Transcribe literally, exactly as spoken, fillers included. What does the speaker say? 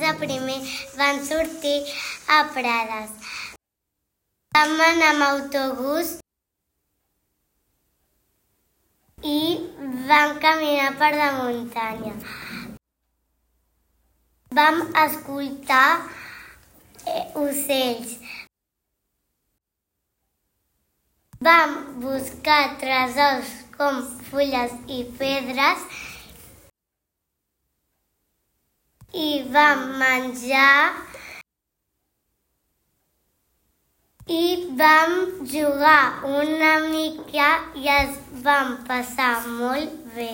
de primer van sortir a Prades. Vam anar amb autobús i vam caminar per la muntanya. Vam escoltar ocells. Vam buscar tresors com fulles i pedres i vam menjar i vam jugar una mica i ens vam passar molt bé.